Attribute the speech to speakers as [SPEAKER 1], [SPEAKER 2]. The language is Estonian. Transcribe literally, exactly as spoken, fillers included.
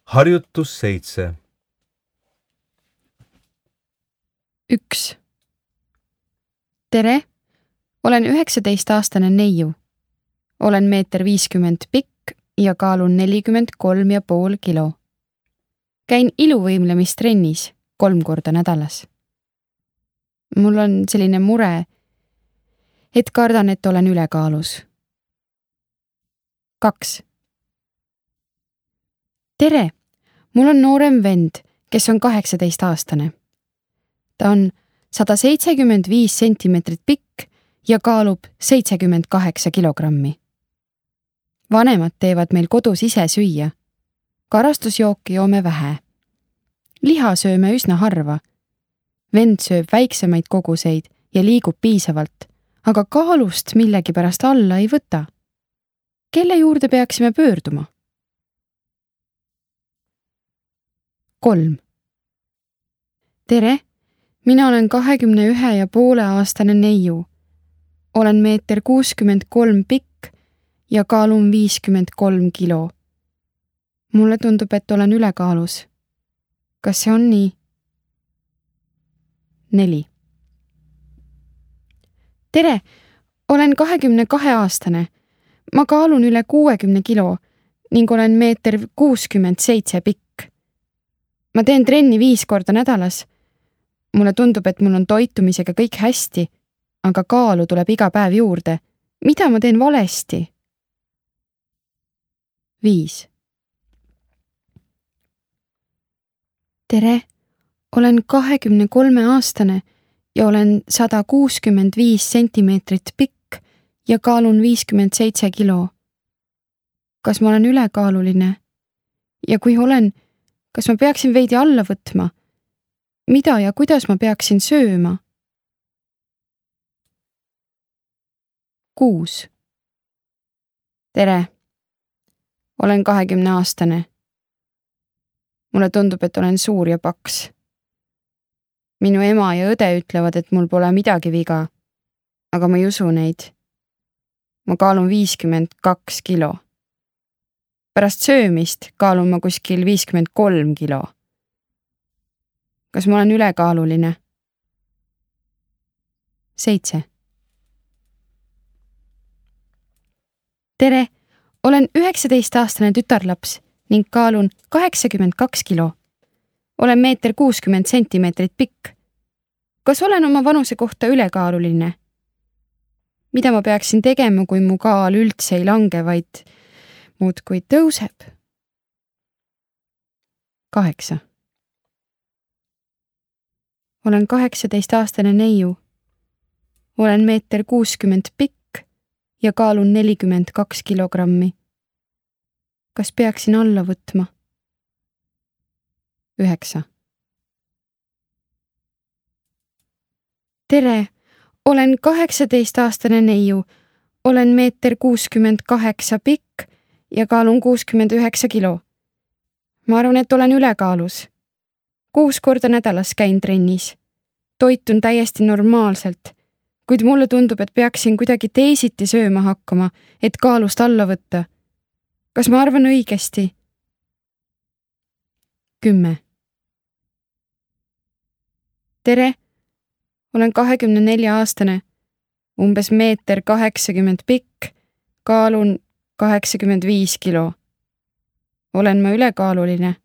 [SPEAKER 1] Harjutus seitse.
[SPEAKER 2] üks. Tere, olen üheksateistaastane neiu. Olen meeter viiskümmend pikk ja kaalun nelikümmend kolm ja pool kilo. Käin iluvõimlemistrennis kolm korda nädalas. Mul on selline mure, et kardan, et olen ülekaalus. kaks. Tere, mul on noorem vend, kes on kaheksateistaastane. Ta on sada seitsekümmend viis sentimeetrit pikk ja kaalub seitsekümmend kaheksa kilogrammi. Vanemad teevad meil kodus ise süüa. Karastusjooki joome vähe. Liha sööme üsna harva. Vend sööb väiksemaid koguseid ja liigub piisavalt, aga kaalust millegipärast alla ei võta. Kelle juurde peaksime pöörduma? kolm. Tere, mina olen kahekümne ühe ja poole aastane neiu. Olen meeter kuuskümmend kolm pikk ja kaalun viiskümmend kolm kilo. Mulle tundub, et olen ülekaalus. Kas see on nii? neli. Tere, olen kahekümne kahe aastane. Ma kaalun üle kuuekümne kilo ning olen meeter kuuskümmend seitse pikk. Ma teen trenni viis korda nädalas. Mulle tundub, et mul on toitumisega kõik hästi, aga kaalu tuleb iga päev juurde. Mida ma teen valesti? viis. Tere, olen kahekümne kolme aastane ja olen sada kuuskümmend viis sentimeetrit pikk ja kaalun viiskümmend seitse kilo. Kas ma olen ülekaaluline? Ja kui olen, kas ma peaksin veidi alla võtma? Mida ja kuidas ma peaksin sööma? kuus. Tere, olen kahekümne aastane. Mulle tundub, et olen suur ja paks. Minu ema ja õde ütlevad, et mul pole midagi viga, aga ma ei usu neid. Ma kaalun viiskümmend kaks kilo. Pärast söömist kaalun ma kuskil viiskümmend kolm kilo. Kas ma olen ülekaaluline? seitse. Tere, olen üheksateistaastane tütarlaps ning kaalun kaheksakümmend kaks kilo. Olen meeter kuuskümmend sentimeetrit pikk. Kas olen oma vanuse kohta ülekaaluline? Mida ma peaksin tegema, kui mu kaal üldse ei lange, vaid muudkui tõuseb? kaheksa. Olen kaheksateistaastane neiu. Olen meeter kuuskümmend pikk ja kaalun nelikümmend kaks kilogrammi. Kas peaksin alla võtma? üheksa. Tere, olen kaheksateistaastane neiu. Olen meeter kuuskümmend kaheksa pikk ja kaalun kuuskümmend üheksa kilo. Ma arvan, et olen ülekaalus. Kuus korda nädalas käin trennis. Toitun täiesti normaalselt, kuid mulle tundub, et peaksin kuidagi teisiti sööma hakkama, et kaalust alla võtta. Kas ma arvan õigesti? kümme. Tere, olen kahekümne nelja aastane, umbes meeter kaheksakümmend pikk, kaalun kaheksakümmend viis kilo. Olen ma ülekaaluline?